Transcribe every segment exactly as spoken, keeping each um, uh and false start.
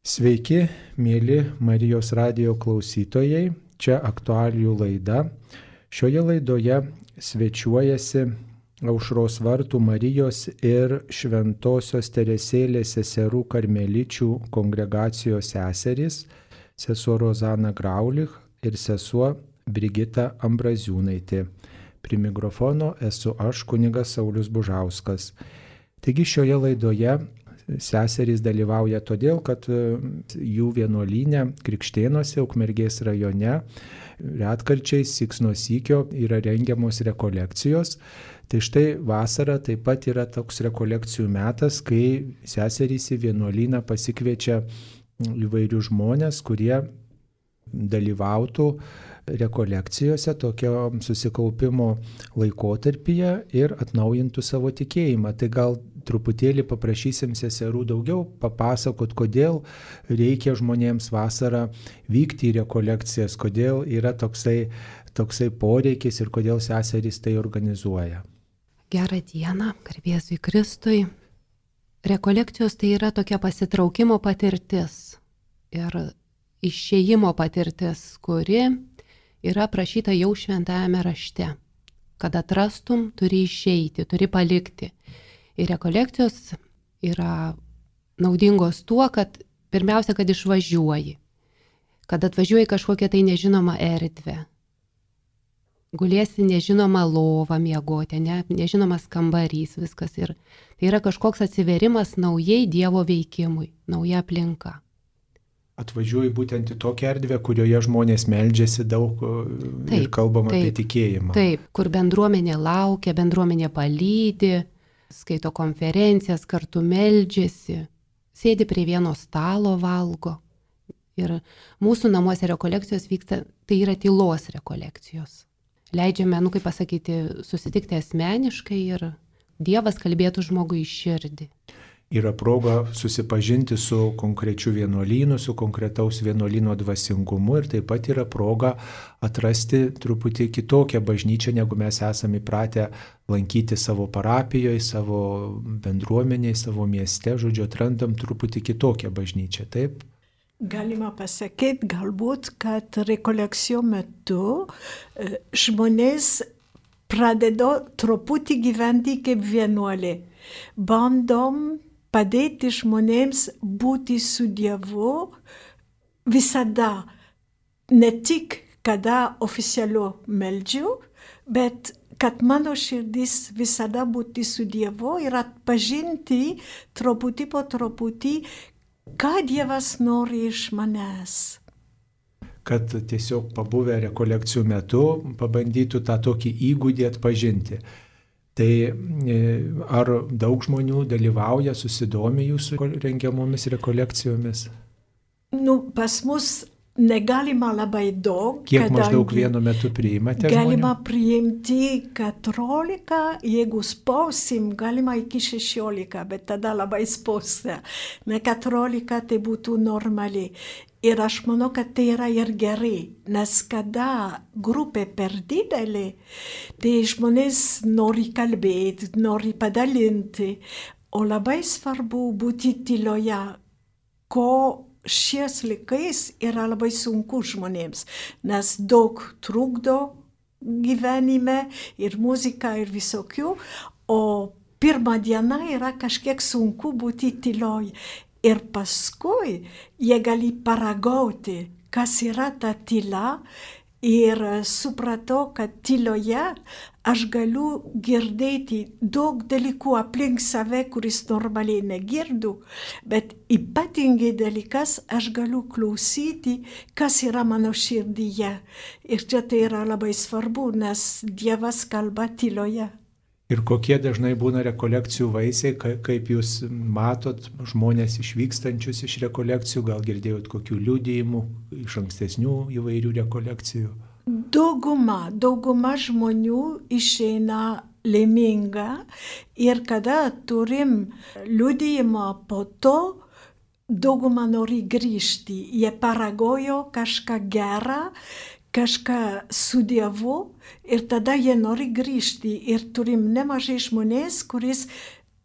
Sveiki, mėly Marijos radijo klausytojai, čia aktualijų laida. Šioje laidoje svečiuojasi Aušros vartų Marijos ir Šventosios Teresėlės seserų karmeličių kongregacijos seserys, sesuo Rozana Graulich ir sesuo Brigita Ambraziūnaitė. Prie mikrofono esu aš, kunigas Saulius Bužauskas. Taigi šioje laidoje seserys dalyvauja todėl, kad jų vienuolyne Krikštėnuose, Ukmergės rajone, retkarčiais syks nuo sykio yra rengiamos rekolekcijos. Tai štai vasara taip pat yra toks rekolekcijų metas, kai seserys į vienuolyną pasikviečia įvairių žmonės, kurie dalyvautų rekolekcijose tokio susikaupimo laikotarpyje ir atnaujintų savo tikėjimą. Tai gal truputėlį paprašysim seserų daugiau papasakot, kodėl reikia žmonėms vasarą vykti į rekolekcijas, kodėl yra toksai, toksai poreikis ir kodėl seserys tai organizuoja. Gerą dieną, garbėzui Kristui. Rekolekcijos tai yra tokia pasitraukimo patirtis ir išėjimo patirtis, kuri yra aprašyta jau šventajame rašte. Kad atrastum, turi išeiti, turi palikti. Ir rekolekcijos yra naudingos tuo, kad pirmiausia, kad išvažiuoji. Kad atvažiuoji kažkokią tai nežinomą erdvę. Gulėsi nežinomą lovą miegoti, ne, nežinomas kambarys, viskas. Ir tai yra kažkoks atsiverimas naujai Dievo veikimui, nauja aplinka. Atvažiuoji būtent į tokią erdvę, kurioje žmonės meldžiasi daug taip, ir kalbam taip, apie tikėjimą. Taip, kur bendruomenė laukia, bendruomenė palydi, skaito konferencijas, kartu meldžiasi, sėdi prie vieno stalo, valgo. Ir mūsų namuose rekolekcijos vyksta, tai yra tylos rekolekcijos. Leidžiame, nu kaip pasakyti, susitikti asmeniškai ir Dievas kalbėtų žmogui į širdį. Yra proga susipažinti su konkrečiu vienuolynu, su konkretaus vienuolyno dvasingumu ir taip pat yra proga atrasti truputį kitokią bažnyčią, negu mes esame įpratę lankyti savo parapijoje, savo bendruomenėje, savo mieste. Žodžiu, atrandam truputį kitokią bažnyčią, taip? Galima pasakyti, galbūt, kad rekolekcijų metu žmonės pradeda truputį gyventi kaip vienuoliai. Bandom padėti žmonėms būti su Dievu visada, ne tik kada oficialiu meldžiu, bet kad mano širdis visada būti su Dievu ir atpažinti truputį po truputį, ką Dievas nori iš manęs. Kad tiesiog pabuvę rekolekcijų metu pabandytų tą tokį įgūdį atpažinti. Tai ar daug žmonių dalyvauja, susidomi jūsų rengiamomis rekolekcijomis? Nu, pas mus negalima labai daug. Kiek maždaug vienu metu priimate žmonių? Galima priimti keturiolika, jeigu spausim, galima iki šešiolika, bet tada labai spausia. Ne keturiolika tai būtų normaliai. Ir aš manau, kad tai yra ir gerai, nes kada grupė per didelė, tai žmonės nori kalbėti, nori padalinti, o labai svarbu būti tyloje, ko šiais laikais yra labai sunku žmonėms, nes daug trukdo gyvenime ir muzika ir visokių, o pirmą dieną yra kažkiek sunku būti tyloje. Ir paskui jie gali paragauti, kas yra ta tyla, ir supratau, kad tyloje aš galiu girdėti daug dalykų aplink save, kuris normaliai negirdu, bet ypatingai dalykas aš galiu klausyti, kas yra mano širdyje. Ir čia tai yra labai svarbu, nes Dievas kalba tyloje. Ir kokie dažnai būna rekolekcijų vaisiai, kaip jūs matot žmonės išvykstančius iš rekolekcijų, gal girdėjot kokių liudijimų iš ankstesnių įvairių rekolekcijų? Dauguma, dauguma žmonių išeina laiminga ir kada turim liudijimą po to, dauguma nori grįžti. Jie paragojo kažką gerą, kažką su Dievu ir tada jie nori grįžti. Ir turim nemažai žmonės, kuris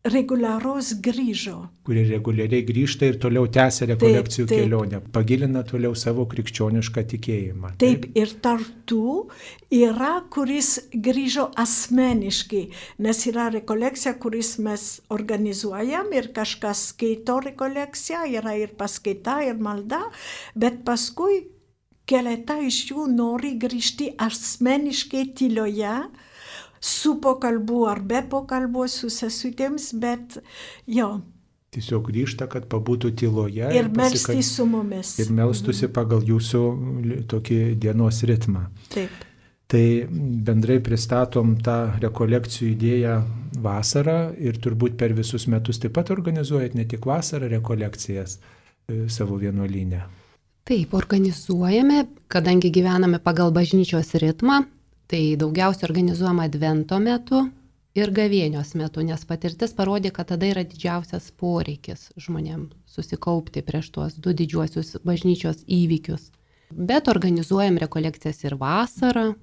reguliaraus grįžo. Kurie reguliariai grįžta ir toliau tęsia rekolekcijų Taip, taip. kelionę, pagilina toliau savo krikščionišką tikėjimą. Taip, ir tartu yra, kuris grįžo asmeniškai, nes yra rekolekcija, kuris mes organizuojam ir kažkas skaito rekolekciją, yra ir paskaita, ir malda, bet paskui keletą iš jų nori grįžti asmeniškai tyloje, su pokalbu ar be pokalbu su sesutėms, bet jo. Tiesiog grįžta, kad pabūtų tyloje Ir pasikal- melstis su mumis. ir melstusi pagal jūsų tokį dienos ritmą. Taip. Tai bendrai pristatom tą rekolekcijų idėją vasarą ir turbūt per visus metus taip pat organizuojat ne tik vasarą rekolekcijas e, savo vienuolyne. Taip, organizuojame, kadangi gyvename pagal bažnyčios ritmą, tai daugiausiai organizuojama advento metu ir gavėnios metu, nes patirtis parodė, kad tada yra didžiausias poreikis žmonėm susikaupti prieš tuos du didžiuosius bažnyčios įvykius. Bet organizuojam rekolekcijas ir vasarą.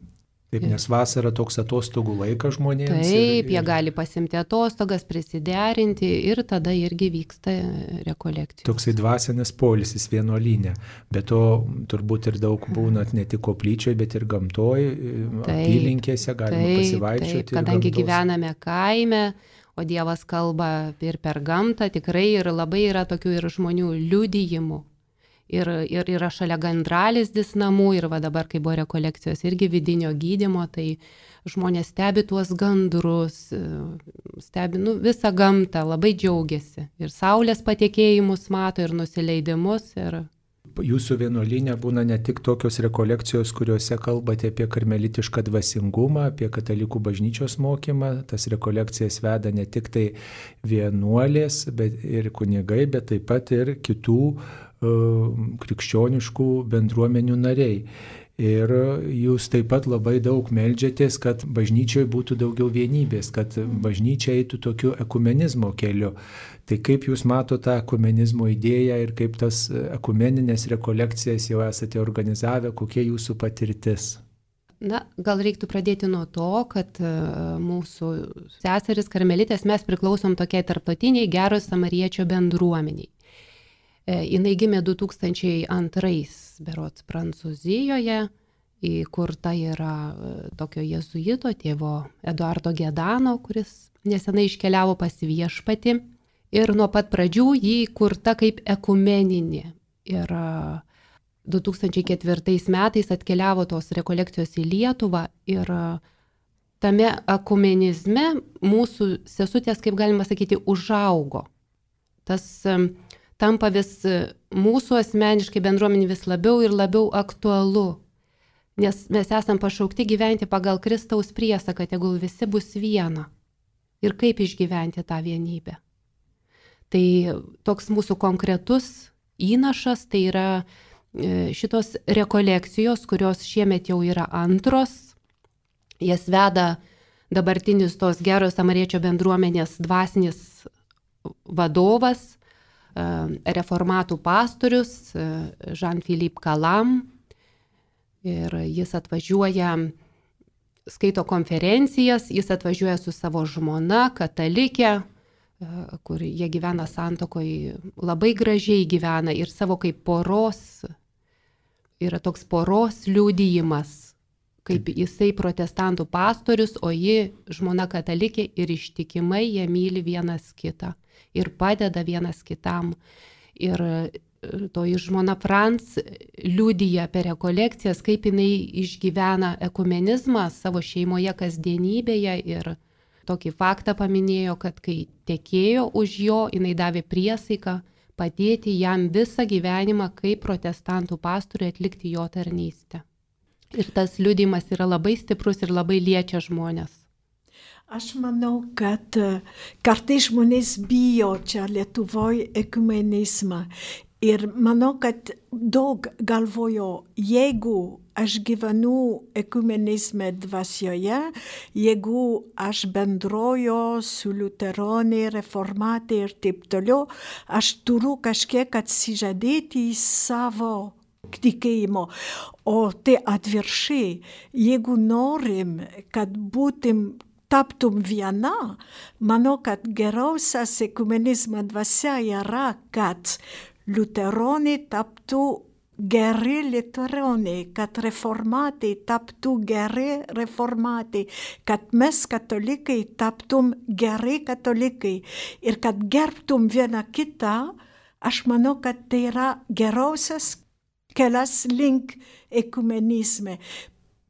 Taip, nes vasara toks atostogų laikas žmonėms. Taip, ir, jie gali pasimti atostogas, prisiderinti ir tada irgi vyksta rekolekcijos. Toksai dvasinis poilsis vienuolyne. Bet to turbūt ir daug būnat ne tik koplyčioje, bet ir gamtoj, apylinkėse galima taip, pasivaikščioti. Taip, kadangi gyvename kaime, o Dievas kalba ir per gamtą, tikrai ir labai yra tokių ir žmonių liudijimų. Ir, ir yra šalia gandralizdis namų ir va dabar, kai buvo rekolekcijos irgi vidinio gydymo, tai žmonės stebi tuos gandrus, stebi nu, visą gamtą, labai džiaugiasi. Ir saulės patekėjimus mato, ir nusileidimus. Ir... Jūsų vienuolyne būna ne tik tokios rekolekcijos, kuriuose kalbate apie karmelitišką dvasingumą, apie katalikų bažnyčios mokymą. Tas rekolekcijas veda ne tik tai vienuolės, bet ir kunigai, bet taip pat ir kitų krikščioniškų bendruomenių nariai. Ir jūs taip pat labai daug meldžiatės, kad bažnyčioje būtų daugiau vienybės, kad bažnyčia eitų tokiu ekumenizmo keliu. Tai kaip jūs matote tą ekumenizmo idėją ir kaip tas ekumeninės rekolekcijas jau esate organizavę, kokia jūsų patirtis? Na, gal reiktų pradėti nuo to, kad mūsų seseris karmelitės mes priklausom tokiai tarptautiniai Gero Samariečio bendruomeniai. Jinai gimė du tūkstančiai antrais, berods Prancūzijoje, įkurta yra tokio jėzuito tėvo Eduardo Gedano, kuris nesenai iškeliavo pas viešpatį. Ir nuo pat pradžių jį įkurta kaip ekumeninė. Ir du tūkstančiai ketvirtais metais atkeliavo tos rekolekcijos į Lietuvą ir tame ekumenizme mūsų sesutės, kaip galima sakyti, užaugo. Tas tampa vis mūsų asmeniškai bendruomenė vis labiau ir labiau aktualu, nes mes esam pašaukti gyventi pagal Kristaus priesaką, tegul visi bus viena. Ir kaip išgyventi tą vienybę. Tai toks mūsų konkretus įnašas, tai yra šitos rekolekcijos, kurios šiemet jau yra antros. Jas veda dabartinis tos Gero Samariečio bendruomenės dvasinis vadovas, reformatų pastorius Jean-Philippe Calam. Ir jis atvažiuoja, skaito konferencijas, jis atvažiuoja su savo žmona, katalikė, kur jie gyvena santuokoje, labai gražiai gyvena ir savo kaip poros, yra toks poros liudijimas, kaip jisai protestantų pastorius, o ji žmona katalikė ir ištikimai jie myli vienas kitą ir padeda vienas kitam. Ir toji žmona Franz liudija per rekolekcijas, kaip jinai išgyvena ekumenizmą savo šeimoje kasdienybėje ir tokį faktą paminėjo, kad kai tekėjo už jo, jinai davė priesaiką padėti jam visą gyvenimą kaip protestantų pastoriui atlikti jo tarnystę. Ir tas liudijimas yra labai stiprus ir labai liečia žmonės. Aš manau, kad kartais žmonės bijo čia Lietuvoje ekumenizmą. Ir manau, kad daug galvojo, jeigu aš gyvenu ekumenizme dvasioje, jeigu aš bendroju su liuteronai, reformatai ir taip toliau, aš turiu kažkiek atsižadėti į savo tikėjimo. O tai atvirkščiai, jeigu norim, kad būtum taptum viena, manau, kad geriausias ekumenizmo dvasia yra, kad liuteronai taptų geri liuteronai, kad reformatai taptų geri reformatai, kad mes katalikai taptum gerai katalikai ir kad gerbtum vieną kitą. Aš manau, kad tai yra geriausias kelias link ekumenizme.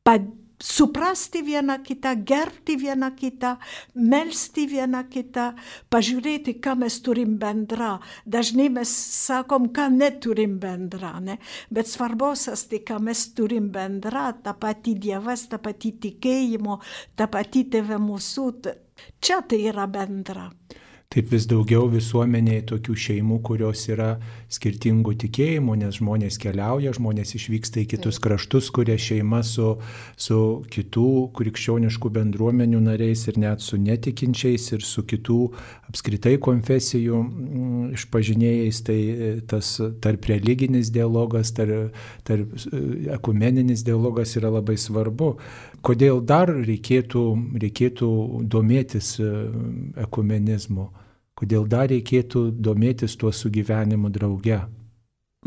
Pad Suprasti vieną kitą, gerbti vieną kitą, melsti vieną kitą, pažiūrėti, ką mes turim bendrą. Dažnai mes sakom, ką neturim bendrą, ne? Bet svarbiausias tai, ką mes turim bendrą, ta pati Dievas, ta pati tikėjimo, ta pati tėvė mūsų. Čia tai yra bendra. Taip vis daugiau visuomenėje tokių šeimų, kurios yra skirtingų tikėjimų, nes žmonės keliauja, žmonės išvyksta į kitus kraštus, kuria šeima su, su kitų krikščioniškų bendruomenių nariais ir net su netikinčiais ir su kitų apskritai konfesijų išpažinėjais. Tai tas tarp religinis dialogas, tarp, tarp ekumeninis dialogas yra labai svarbu. Kodėl dar reikėtų, reikėtų domėtis ekumenizmu? Kodėl dar reikėtų domėtis tuo sugyvenimu drauge?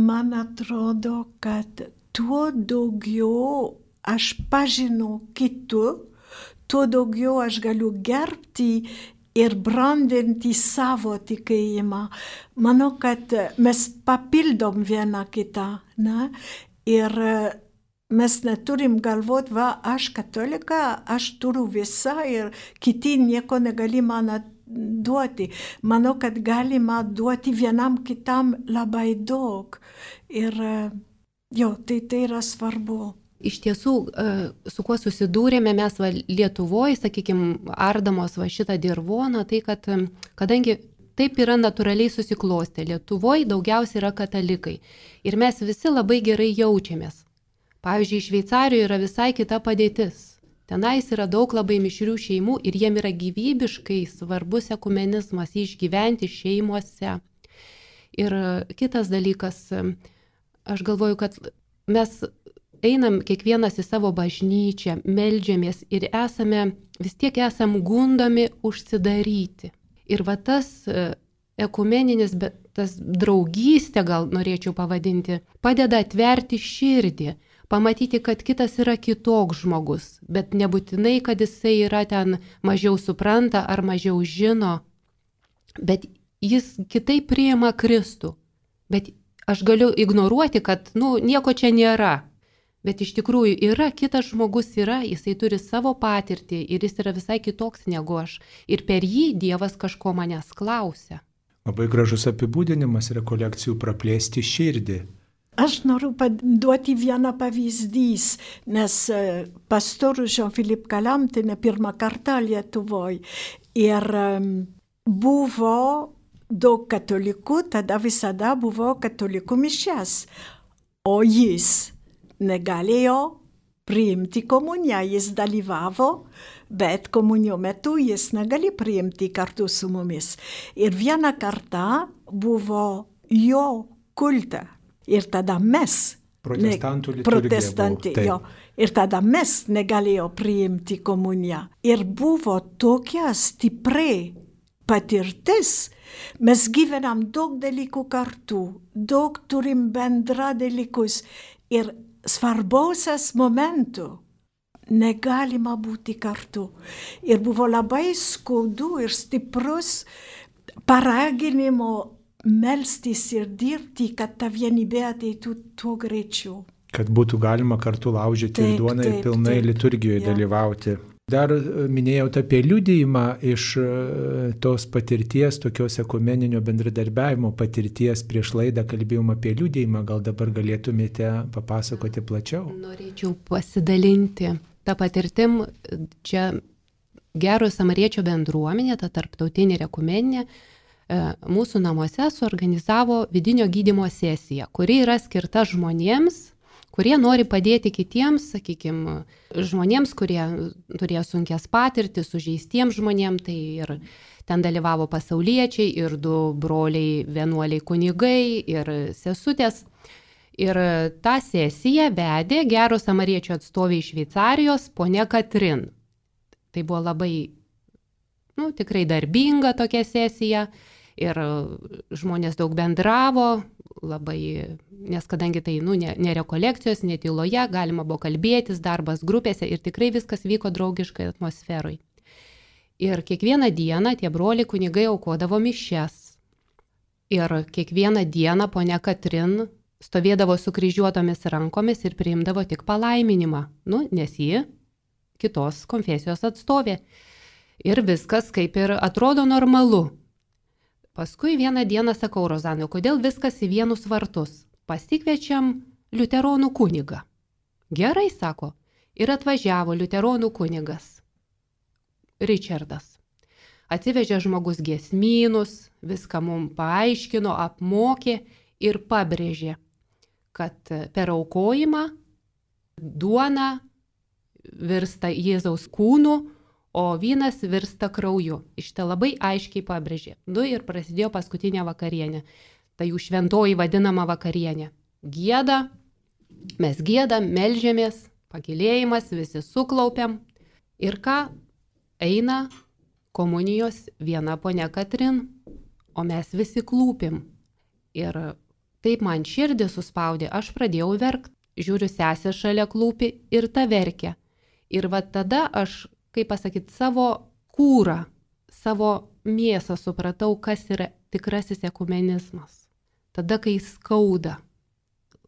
Man atrodo, kad tuo daugiau aš pažinau kitų, tuo daugiau aš galiu gerbti ir brandinti savo tikėjimą. Manau, kad mes papildom vieną kitą, ne? Ir mes neturim galvoti, va, aš katolika, aš turiu visą ir kiti nieko negali man duoti. Manau, kad galima duoti vienam kitam labai daug. Ir jo, tai tai yra svarbu. Iš tiesų, su kuo susidūrėme mes va, Lietuvoje, sakykime, ardamos va, šitą dirvoną, tai kad kadangi taip yra natūraliai susiklostę, Lietuvoje daugiausiai yra katalikai. Ir mes visi labai gerai jaučiamės. Pavyzdžiui, Šveicarijoje yra visai kita padėtis. Tenais yra daug labai mišrių šeimų ir jiem yra gyvybiškai svarbus ekumenizmas išgyventi šeimuose. Ir kitas dalykas, aš galvoju, kad mes einam kiekvienas į savo bažnyčią, meldžiamės ir esame, vis tiek esam gundomi užsidaryti. Ir va tas ekumeninis, bet tas draugystė, gal norėčiau pavadinti, padeda atverti širdį. Pamatyti, kad kitas yra kitoks žmogus, bet nebūtinai, kad jisai yra ten mažiau supranta ar mažiau žino, bet jis kitaip priima Kristų. Bet aš galiu ignoruoti, kad, nu, nieko čia nėra. Bet iš tikrųjų yra, kitas žmogus yra, jisai turi savo patirtį ir jis yra visai kitoks negu aš. Ir per jį Dievas kažko manęs klausia. Labai gražus apibūdinimas rekolekcijų praplėsti širdį. Aš noriu duoti vieną pavyzdys, nes pastorius Jean-Philippe Calam, ne pirmą kartą Lietuvoje. Ir buvo daug katalikų, tada visada buvo katalikų mišias. O jis negalėjo priimti komuniją, jis dalyvavo, bet komunijos metu jis negali priimti kartu su mumis. Ir vieną kartą buvo jo kulta. Ir tada mes, protestantų ne, protestantai, jo, ir tada mes negalėjo priimti komuniją. Ir buvo tokia stipri patirtis, mes gyvenam daug dalykų kartu, daug turim bendra dalykus ir svarbiausias momentų negalima būti kartu. Ir buvo labai skaudu ir stiprus paraginimo melstis ir dirbti, kad ta vienybė ateitų tuo greičiau. Kad būtų galima kartu laužyti taip, duoną ir pilnai taip, liturgijoje ja. dalyvauti. Dar minėjau apie liudijimą iš tos patirties, tokios ekumeninio bendradarbiavimo patirties. Prieš laidą kalbėjom apie liudijimą, gal dabar galėtumėte papasakoti plačiau? Norėčiau pasidalinti tą patirtim. Čia Gerojo Samariečio bendruomenė, ta tarptautinė ir ekumeninė, mūsų namuose suorganizavo vidinio gydymo sesiją, kuri yra skirta žmonėms, kurie nori padėti kitiems, sakykime, žmonėms, kurie turėjo sunkias patirtis, sužeistiems žmonėms, tai ir ten dalyvavo pasauliečiai, ir du broliai vienuoliai kunigai, ir sesutės. Ir tą sesiją vedė Gerojo Samariečio atstovė iš Šveicarijos, ponia Katrin. Tai buvo labai nu, tikrai darbinga tokia sesija ir žmonės daug bendravo, labai, nes kadangi tai nu, ne, ne rekolekcijos, ne tyloje, galima buvo kalbėtis, darbas grupėse ir tikrai viskas vyko draugiškai atmosferai. Ir kiekvieną dieną tie broliai kunigai aukodavo mišias. Ir kiekvieną dieną ponia Katrin stovėdavo su kryžiuotomis rankomis ir priimdavo tik palaiminimą, nu, nes ji kitos konfesijos atstovė. Ir viskas kaip ir atrodo normalu. Paskui vieną dieną sakau Rozanui, kodėl viskas į vienus vartus? Pasikviečiam liuteronų kunigą. Gerai, sako. Ir atvažiavo liuteronų kunigas. Richardas. Atsivežė žmogus giesmynus, viską mums paaiškino, apmokė ir pabrėžė, kad per aukojimą duona virsta Jėzaus kūnu, o vynas virsta krauju. Šitą labai aiškiai pabrėžė. Nu ir prasidėjo paskutinė vakarienė. Tai jų šventoji vadinama vakarienė. Gieda, mes giedam, melžiamės, pakilėjimas, visi suklaupiam. Ir ką? Eina komunijos viena ponia Katrin, o mes visi klūpim. Ir taip man širdį suspaudė, aš pradėjau verkt. Žiūriu, sesė šalia klūpi ir ta verkia. Ir va tada aš, kaip pasakyti, savo kūrą, savo mėsą supratau, kas yra tikrasis ekumenizmas. Tada, kai skauda,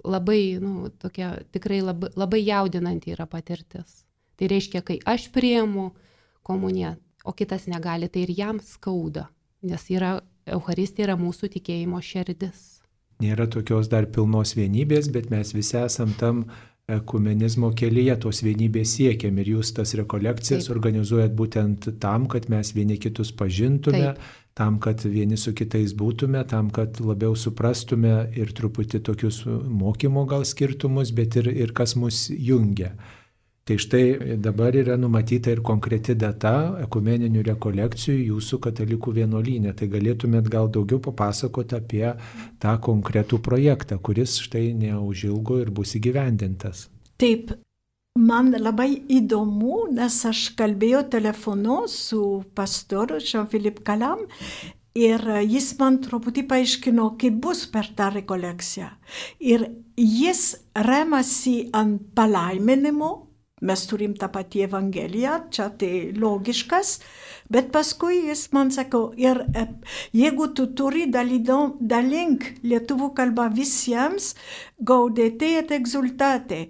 labai, nu, tokia tikrai labai, labai jaudinanti yra patirtis. Tai reiškia, kai aš priimu komuniją, o kitas negali, tai ir jam skauda, nes yra, Eucharistija yra mūsų tikėjimo širdis. Nėra tokios dar pilnos vienybės, bet mes visi esam tam ekumenizmo kelyje, tos vienybės siekiam ir jūs tas rekolekcijas Taip. Organizuojat būtent tam, kad mes vieni kitus pažintume, Taip. Tam, kad vieni su kitais būtume, tam, kad labiau suprastume ir truputį tokius mokymo gal skirtumus, bet ir, ir kas mus jungia. Tai štai dabar yra numatyta ir konkreti data ekumeninių rekolekcijų jūsų katalikų vienuolyne. Tai galėtumėt gal daugiau papasakoti apie tą konkretų projektą, kuris štai neužilgo ir bus įgyvendintas. Taip, man labai įdomu, nes aš kalbėjau telefonu su pastoru Jean-Philippe Calam ir jis man truputį paaiškino, kaip bus per tą rekolekciją. Ir jis remasi ant palaiminimo. Mes turim tą patį evangeliją, čia tai logiškas, bet paskui jis man sako, ir jeigu tu turi dalink lietuvų kalbą visiems, gaudete et exultate,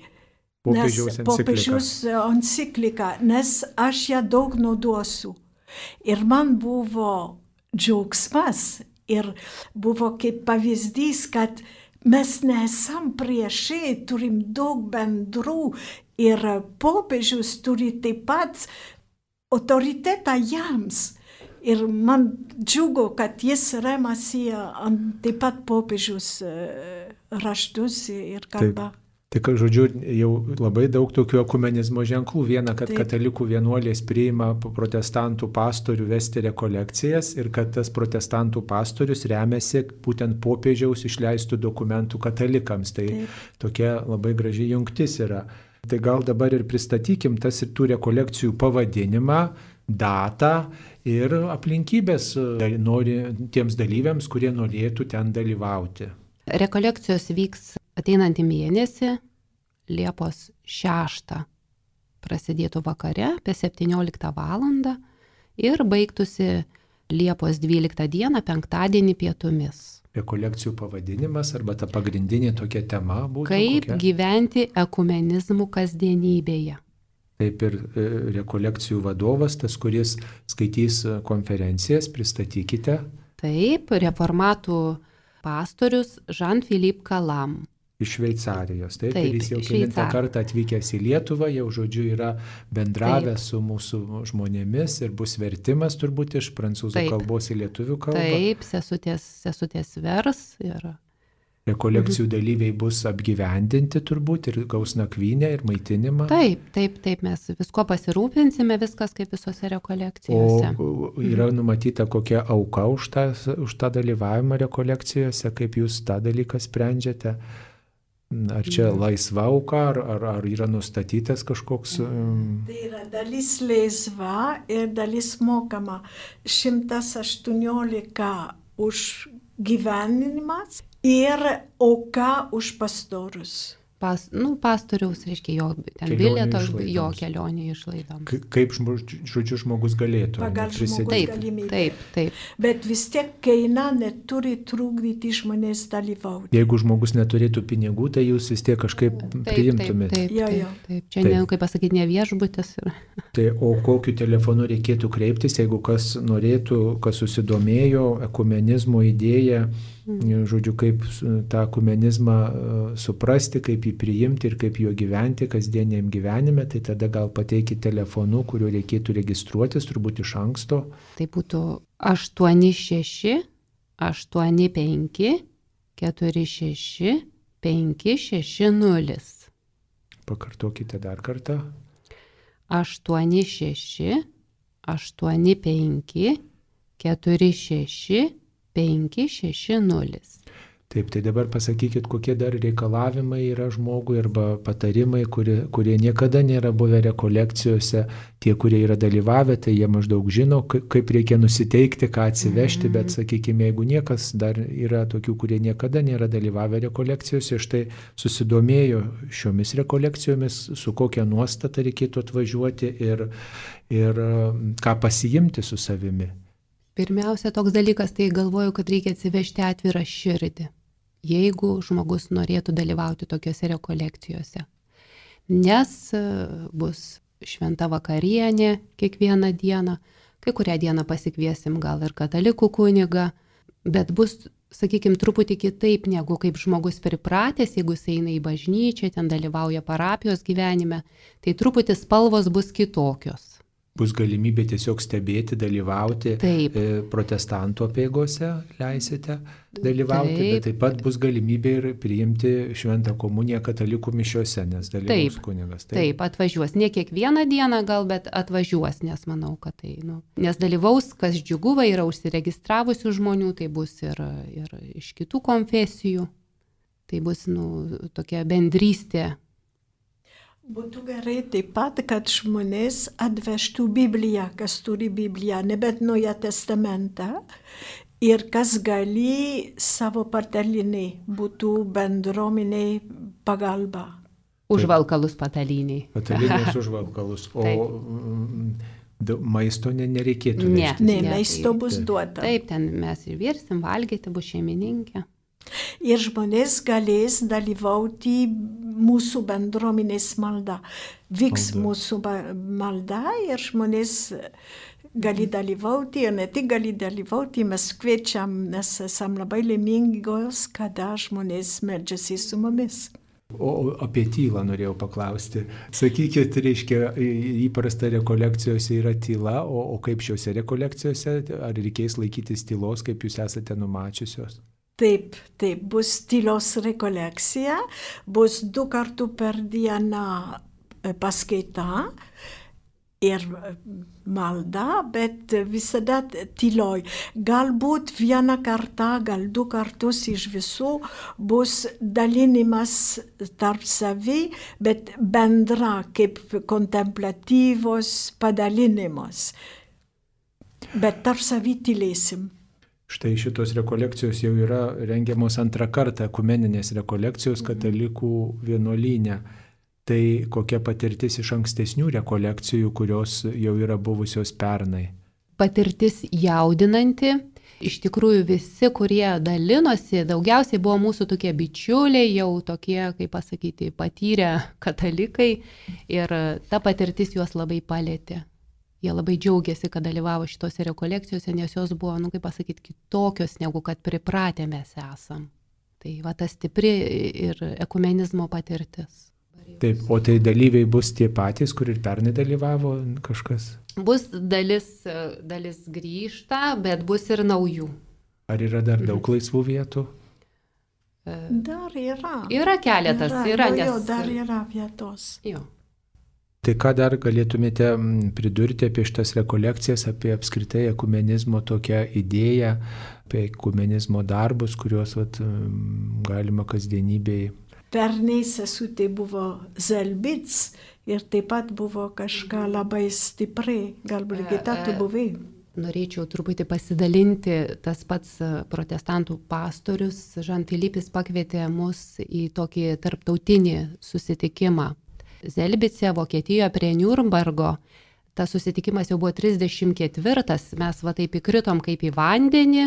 popiežiaus nes, popiežiaus enciklika, nes aš ją daug nauduosiu. Ir man buvo džiaugsmas ir buvo kaip pavyzdys, kad mes nesam priešai, turim daug bendrų. Ir popiežius turi taip pat autoritetą jiems. Ir man džiugu, kad jis remasi ant taip pat popiežius raštus ir kalbą. Tik, žodžiu, jau labai daug tokių ekumenizmo ženklų. Viena, kad Taip. Katalikų vienuolės priima protestantų pastorių vesti rekolekcijas ir kad tas protestantų pastorius remiasi būtent popiežiaus išleistų dokumentų katalikams. Tai Taip. Tokia labai graži jungtis yra. Tai gal dabar ir pristatykim tas ir tų rekolekcijų pavadinimą, datą ir aplinkybės nori, tiems dalyviams, kurie norėtų ten dalyvauti. Rekolekcijos vyks ateinantį mėnesį, Liepos šeštą prasidėtų vakare apie septynioliktą valandą ir baigtųsi Liepos dvyliktą dieną, penktadienį pietumis. Rekolekcijų pavadinimas arba ta pagrindinė tokia tema būtų Kaip kokia? Gyventi ekumenizmu kasdienybėje. Taip ir e, rekolekcijų vadovas, tas, kuris skaitys konferencijas, pristatykite. Taip, reformatų pastorius Jean-Philippe Calam. Iš Šveicarijos, taip, taip ir jis jau kelintą kartą atvykęs į Lietuvą, jau žodžiu yra bendravęs taip. Su mūsų žmonėmis ir bus vertimas turbūt iš prancūzų taip. Kalbos į lietuvių kalbą. Taip, sesutės, sesutės vers. Ir... Rekolekcijų mhm. dalyviai bus apgyvendinti turbūt ir gaus nakvynę ir maitinimą. Taip, taip, taip, mes visko pasirūpinsime, viskas kaip visose rekolekcijose. O yra numatyta kokia auka už tą, už tą dalyvavimą rekolekcijose, kaip jūs tą dalyką sprendžiate? ar čia laisva auka, ar, ar, ar yra nustatytas kažkoks... Tai yra dalis laisva ir dalis mokama. šimtas aštuoniolika už gyvenimas ir auka už pastorius. Pas, nu, pastoriaus, reiškia, jo ten bilieto, jo kelionė išlaidoms. Kaip, žodžiu, žmogus galėtų Pagal žmogus taip, galimybę. taip, taip. Bet vis tiek kaina neturi trukdyti žmonės dalyvauti. Jeigu žmogus neturėtų pinigų, tai jūs vis tiek kažkaip Taip, priimtumėte. Taip, taip, Jo, taip, jo. taip. Čia, Taip. ne, kaip pasakyti, ne viešbutis. Tai o kokiu telefonu reikėtų kreiptis, jeigu kas norėtų, kas susidomėjo ekumenizmo idėją, žodžiu, kaip tą ekumenizmą suprasti, kaip jį priimti ir kaip juo gyventi kasdieniam gyvenime, tai tada gal pateikit telefonu, kuriuo reikėtų registruotis, turbūt iš anksto. Tai būtų aštuoni šeši aštuoni penki keturi šeši penki šeši nulis. Pakartokite dar kartą. aštuoni šeši aštuoni penki keturi šeši penki šeši nulis. Taip, tai dabar pasakykit, kokie dar reikalavimai yra žmogui arba patarimai, kurie, kurie niekada nėra buvę rekolekcijose. Tie, kurie yra dalyvavę, tai jie maždaug žino, kaip reikia nusiteikti, ką atsivežti, bet sakykime, jeigu niekas dar yra tokių, kurie niekada nėra dalyvavę rekolekcijose, štai susidomėjo šiomis rekolekcijomis, su kokia nuostata reikėtų atvažiuoti ir, ir ką pasiimti su savimi. Pirmiausia, toks dalykas, tai galvoju, kad reikia atsivežti atvirą širdį, jeigu žmogus norėtų dalyvauti tokiuose rekolekcijose. Nes bus šventa vakarienė kiekvieną dieną, kai kurią dieną pasikviesim gal ir katalikų kunigą, bet bus, sakykime, truputį kitaip, negu kaip žmogus pripratęs, jeigu jis eina į bažnyčią, ten dalyvauja parapijos gyvenime, tai truputį spalvos bus kitokios. Bus galimybė tiesiog stebėti, dalyvauti. Taip. Protestantų apeigose leisite dalyvauti, Taip. Bet taip pat bus galimybė ir priimti šventą komuniją katalikų mišiose, nes dalyvaus kunigas. Taip. Taip, atvažiuos. Ne kiekvieną dieną gal, bet atvažiuos, nes manau, kad tai, nu, nes dalyvaus, kas džiugu, va, yra užsiregistravusių žmonių, tai bus ir, ir iš kitų konfesijų. Tai bus, nu, tokia bendrystė. Būtų gerai taip pat, kad žmonės atvežtų Bibliją, kas turi Bibliją, nebent Naują testamentą, ir kas gali savo patalinį būtų bendruomeniai pagalba. Užvalkalus pataliniai. Patalinės užvalkalus, o d- maisto ne, nereikėtų Ne. vežtis. Ne, Ne, maisto tai- bus duota. Taip, ten mes ir virsim, valgyti, bus šeimininkė. Ir žmonės galės dalyvauti mūsų bendruomenės malda. Vyks Malda. mūsų ba- malda ir žmonės gali dalyvauti, ir ne tik gali dalyvauti, mes kviečiam, nes esam labai laimingos, kada žmonės meldžiasi su mumis. O apie tylą norėjau paklausti. Sakykit, reiškia, įprasta rekolekcijose yra tyla, o, o kaip šiuose rekolekcijose, ar reikės laikytis tylos, kaip jūs esate numačiusios? Taip, taip, bus tylos rekolekcija, bus du kartų per dieną paskaita ir malda, bet visada tyloj. Galbūt vieną kartą, gal du kartus iš visų bus dalinimas tarp savi, bet bendra kaip kontemplatyvos padalinimas. Bet tarp savi tylėsim. Štai šitos rekolekcijos jau yra rengiamos antrą kartą, ekumeninės rekolekcijos katalikų vienuolyne. Tai kokia patirtis iš ankstesnių rekolekcijų, kurios jau yra buvusios pernai? Patirtis jaudinanti. Iš tikrųjų visi, kurie dalinosi, daugiausiai buvo mūsų tokie bičiuliai, jau tokie, kaip pasakyti, patyrę katalikai. Ir ta patirtis juos labai palėtė. Jie labai džiaugiasi, kad dalyvavo šitose rekolekcijose, nes jos buvo, nu, kaip pasakyti, kitokios, negu kad pripratę mes esam. Tai va ta stipri ir ekumenizmo patirtis. Taip, o tai dalyviai bus tie patys, kur ir pernai dalyvavo kažkas? Bus dalis, dalis grįžta, bet bus ir naujų. Ar yra dar daug laisvų vietų? Dar yra. Yra keletas, yra, jo, nes... jo, dar yra vietos. Jo. Tai ką dar galėtumėte pridurti apie šitas rekolekcijas, apie apskritai ekumenizmo tokią idėją, apie ekumenizmo darbus, kuriuos vat, galima kasdienybėje pernai sesutė buvo Zelbic ir taip pat buvo kažką labai stipriai. Gal Brigita, tu buvai? Norėčiau truputį pasidalinti, tas pats protestantų pastorius Žan-Filipis pakvietė mus į tokį tarptautinį susitikimą. Zelbice, Vokietijoje prie Niurnbergo, tas susitikimas jau buvo trisdešimt ketvirtas, mes va taip įkritom kaip į vandenį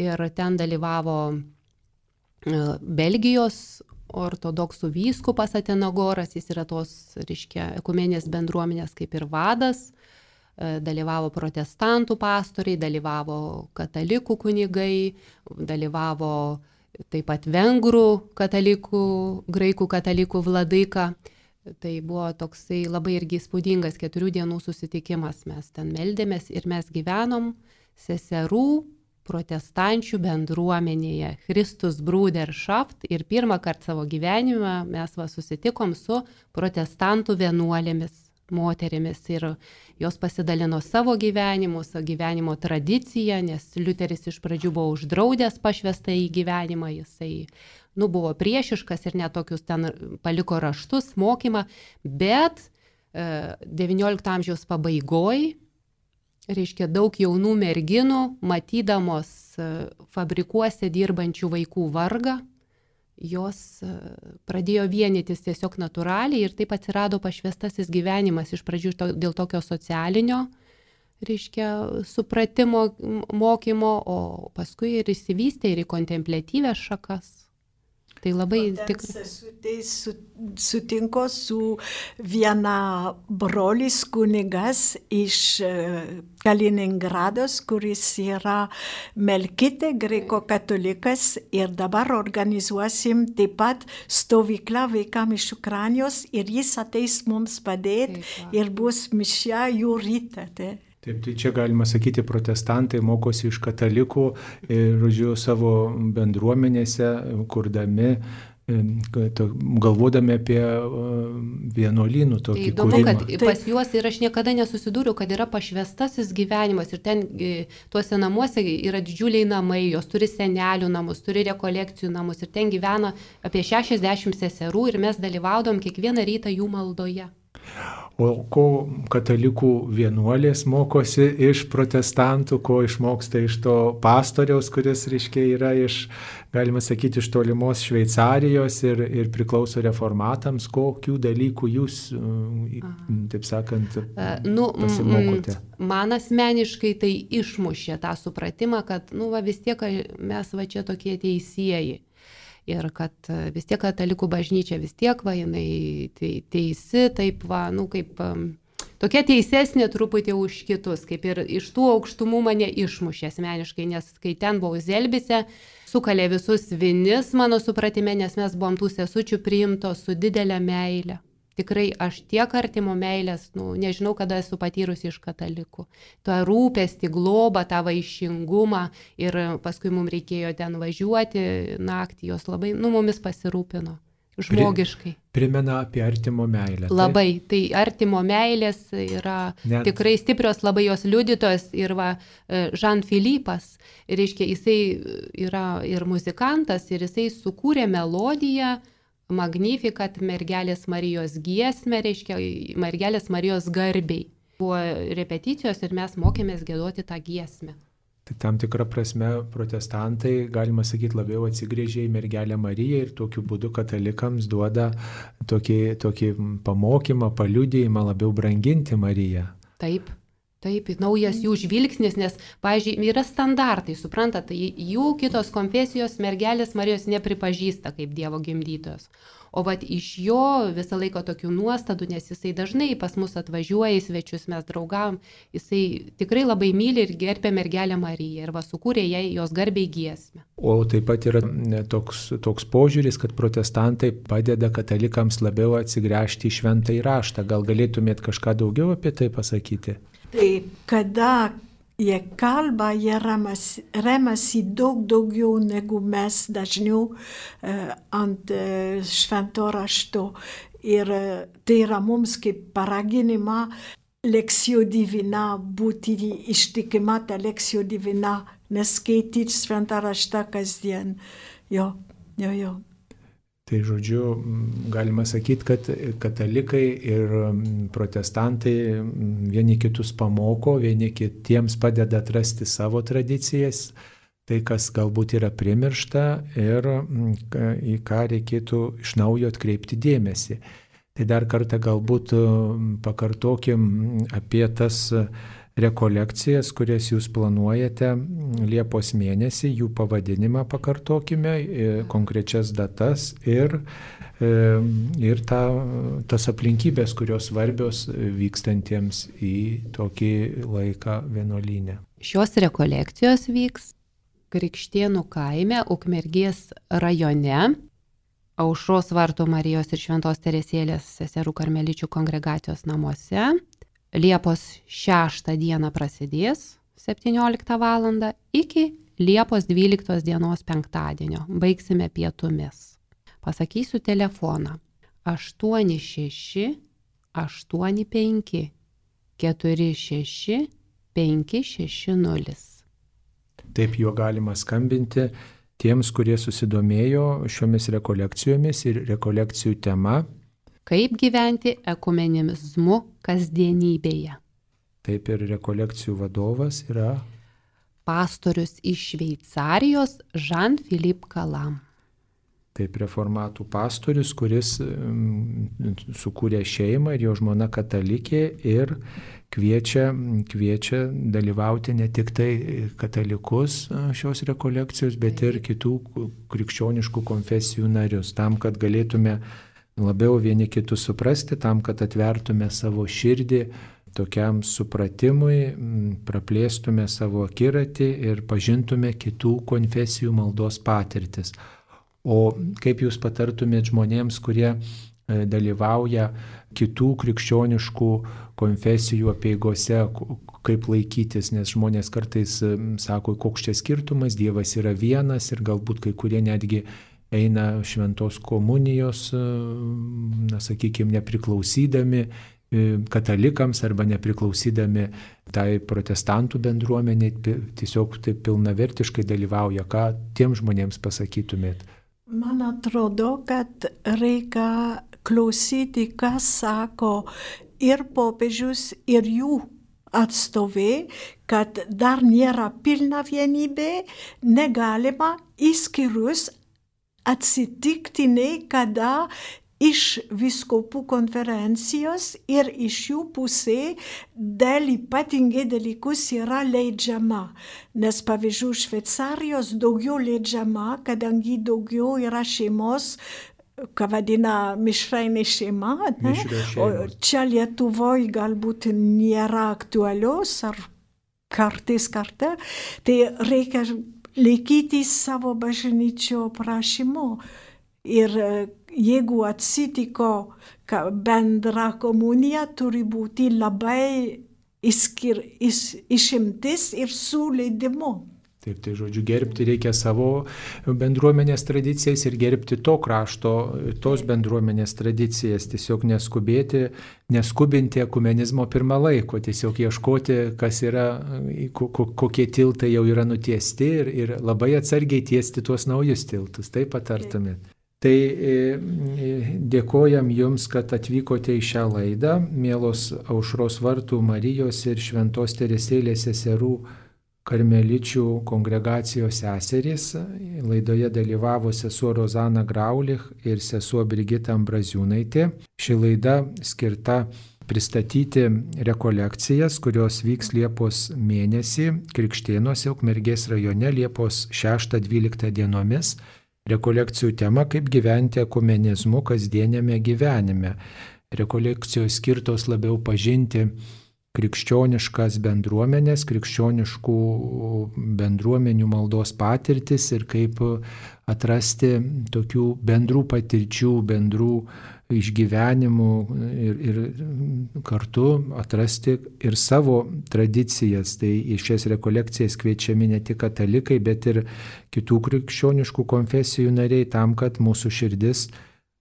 ir ten dalyvavo Belgijos ortodoksų vyskupas Atenagoras, jis yra tos, reiškia, ekumenės bendruomenės kaip ir vadas. Dalyvavo protestantų pastoriai, dalyvavo katalikų kunigai, dalyvavo taip pat vengrų katalikų, graikų katalikų vladaika. Tai buvo toksai labai irgi įspūdingas keturių dienų susitikimas. Mes ten meldėmės ir mes gyvenom seserų protestančių bendruomenėje, Christus Bruderschaft, ir pirmą kartą savo gyvenimą mes va susitikom su protestantų vienuolėmis moterimis ir jos pasidalino savo gyvenimu, savo gyvenimo tradiciją, nes Liuteris iš pradžių buvo uždraudęs pašvestą į gyvenimą, jisai nu, buvo priešiškas ir netokius ten paliko raštus, mokymą, bet e, devyniolikto amžiaus pabaigoj, reiškia daug jaunų merginų, matydamos e, fabrikuose dirbančių vaikų vargą, jos pradėjo vienytis tiesiog natūraliai ir taip atsirado pašvestasis gyvenimas iš pradžių to, dėl tokio socialinio, reiškia, supratimo, mokymo, o paskui ir įsivystė ir į kontempliatyvės šakas. Tai labai tikrai. Sutinku su viena brolis kunigas iš Kaliningrados, kuris yra Melkite, greiko katalikas, ir dabar organizuosim taip pat stovyklą vaikams iš Ukrainos ir jis ateis mums padėti ir bus mišia jų rytą. Taip, tai čia galima sakyti, protestantai mokosi iš katalikų ir, žodžiu, savo bendruomenėse, kurdami, galvodami apie vienuolynų tokį įdomu, kūrimą. Kad pas juos ir aš niekada nesusidūriau, kad yra pašvestasis gyvenimas ir ten tuose namuose yra didžiuliai namai, jos turi senelių namus, turi rekolekcijų namus ir ten gyvena apie šešiasdešimt seserų ir mes dalyvaudom kiekvieną rytą jų maldoje. O ko katalikų vienuolės mokosi iš protestantų, ko išmoksta iš to pastoriaus, kuris, reiškia, yra iš, galima sakyti, iš tolimos Šveicarijos ir, ir priklauso reformatams, kokių dalykų jūs, taip sakant, nu, pasimokote? Man asmeniškai tai išmušė tą supratimą, kad nu, va, vis tiek mes va čia tokie teisieji. Ir kad vis tiek katalikų bažnyčia vis tiek, va, jinai teisi, taip, va, nu, kaip tokia teisesnė truputį už kitus, kaip ir iš tų aukštumų mane išmušė asmeniškai, nes kai ten buvau Zelbice, sukalė visus vinis mano supratime, nes mes buvom tų sesučių priimtos su didelė meilė. Tikrai aš tiek artimo meilės, nu, nežinau, kada esu patyrusi iš katalikų. Tą rūpestį, globą, tą vaišingumą ir paskui mums reikėjo ten važiuoti naktį, jos labai, nu, mumis pasirūpino. Žmogiškai. Primena apie artimo meilę. Labai. Tai artimo meilės yra Net... tikrai stiprios labai jos liudytojos ir va, Jean-Philippas, reiškia, jisai yra ir muzikantas ir jisai sukūrė melodiją Magnificat mergelės Marijos giesmę, reiškia, mergelės Marijos garbiai. Buvo repeticijos ir mes mokėmės giedoti tą giesmę. Tai tam tikrą prasme protestantai, galima sakyti, labiau atsigrėžė į mergelę Mariją ir tokiu būdu katalikams duoda tokį, tokį pamokymą, paliudijimą labiau branginti Mariją. Taip. Taip, naujas jų žvilgsnis, nes, pavyzdžiui, yra standartai, suprantat, tai jų kitos konfesijos mergelės Marijos nepripažįsta kaip Dievo gimdytojos. O vat iš jo visą laiką tokių nuostadų, nes jisai dažnai pas mus atvažiuoja į svečius, mes draugavom, jisai tikrai labai myli ir gerbė mergelę Mariją ir va sukūrė jai jos garbiai giesmę. O taip pat yra toks, toks požiūris, kad protestantai padeda katalikams labiau atsigręžti į šventąjį raštą. Gal galėtumėt kažką daugiau apie tai pasakyti? Tai kada jie kalba, jie remasi, remasi daug daugiau negu mes dažniau uh, ant uh, švento rašto. Ir uh, tai yra mums kaip paraginima lekcijų divina, būti ištikima tą lekcijų divina, neskaityti šventą raštą kasdien. Jo, jo, jo. Tai žodžiu, galima sakyti, kad katalikai ir protestantai vieni kitus pamoko, vieni kitiems padeda atrasti savo tradicijas, tai kas galbūt yra primiršta ir į ką reikėtų iš naujo atkreipti dėmesį. Tai dar kartą galbūt pakartokim apie tas rekolekcijas, kurias jūs planuojate Liepos mėnesį, jų pavadinimą pakartokime, konkrečias datas ir, ir ta, tas aplinkybės, kurios svarbios vykstantiems į tokį laiką vienuolyne. Šios rekolekcijos vyks Krikštėnų kaime, Ukmergės rajone, Aušros vartų Marijos ir Šventos Teresėlės seserų karmeličių kongregacijos namuose. Liepos šeštą dieną prasidės septynioliktą valandą iki Liepos dvyliktos dienos penktadienio. Baigsime pietumis. Pasakysiu telefoną aštuoni šeši aštuoni penki keturi šeši penki šeši nulis. Taip juo galima skambinti tiems, kurie susidomėjo šiomis rekolekcijomis ir rekolekcijų tema. Kaip gyventi ekumenizmu kasdienybėje. Taip ir rekolekcijų vadovas yra pastorius iš Šveicarijos Jean-Philippe Calam. Taip reformatų pastorius, kuris sukūrė šeimą ir jo žmona katalikė ir kviečia, kviečia dalyvauti ne tik tai katalikus šios rekolekcijos, bet ir kitų krikščioniškų konfesijų narius, tam, kad galėtume labiau vieni kitus suprasti, tam, kad atvertume savo širdį tokiam supratimui, praplėstume savo akiratį ir pažintume kitų konfesijų maldos patirtis. O kaip jūs patartumėt žmonėms, kurie dalyvauja kitų krikščioniškų konfesijų apeigose, kaip laikytis, nes žmonės kartais sako, koks čia skirtumas, Dievas yra vienas ir galbūt kai kurie netgi eina šventos komunijos, na, sakykime, nepriklausydami katalikams arba nepriklausydami tai protestantų bendruomeniai, tiesiog taip pilnavertiškai dalyvauja. Ką tiem žmonėms pasakytumėt? Man atrodo, kad reikia klausyti, ką sako ir popiežius, ir jų atstovai, kad dar nėra pilna vienybė, negalima išskyrus atsitiktinai, kada iš vyskupų konferencijos ir iš jų pusė dėl ypatingai dalykus yra leidžiama. Nes pavyzdžiui, Šveicarijos daugiau leidžiama, kadangi daugiau yra šeimos, ką vadina mišrainė šeima. Ne? O čia Lietuvoje galbūt nėra aktualios ar kartais kartą. Tai reikia laikytis savo bažnyčio prašymo. Ir jeigu atsitiko, kad bendra komunija turi būti labai išskir, iš, išimtis ir su leidimu. Taip, tai žodžiu, gerbti reikia savo bendruomenės tradicijas ir gerbti to krašto, tos bendruomenės tradicijas. Tiesiog neskubėti, neskubinti ekumenizmo pirmą laiko, tiesiog ieškoti, kas yra, kokie tiltai jau yra nutiesti ir, ir labai atsargiai tiesti tuos naujus tiltus. Taip patartumėt. Tai dėkojam Jums, kad atvykote į šią laidą, mielos Aušros vartų Marijos ir Šventos Teresėlės seserų karmeličių kongregacijos seserys. Laidoje dalyvavo sesuo Rozana Graulich ir sesuo Brigita Ambraziūnaitė. Ši laida skirta pristatyti rekolekcijas, kurios vyks Liepos mėnesį Krikštėnuose, Ukmergės rajone, Liepos šeštą dvyliktą dienomis. Rekolekcijų tema - kaip gyventi ekumenizmu kasdienėme gyvenime. Rekolekcijos skirtos labiau pažinti krikščioniškas bendruomenės, krikščioniškų bendruomenių maldos patirtis ir kaip atrasti tokių bendrų patirčių, bendrų išgyvenimų ir, ir kartu atrasti ir savo tradicijas. Tai į šias rekolekcijas kviečiami ne tik katalikai, bet ir kitų krikščioniškų konfesijų nariai, tam, kad mūsų širdis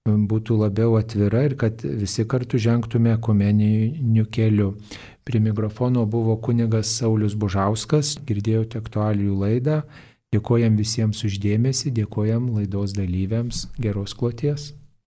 būtų labiau atvira ir kad visi kartu žengtume ekumeniniu keliu. Prie mikrofono buvo kunigas Saulius Bužauskas, girdėjote aktualijų laidą. Dėkojam visiems uždėmesį, dėkojam laidos dalyviams, geros kloties.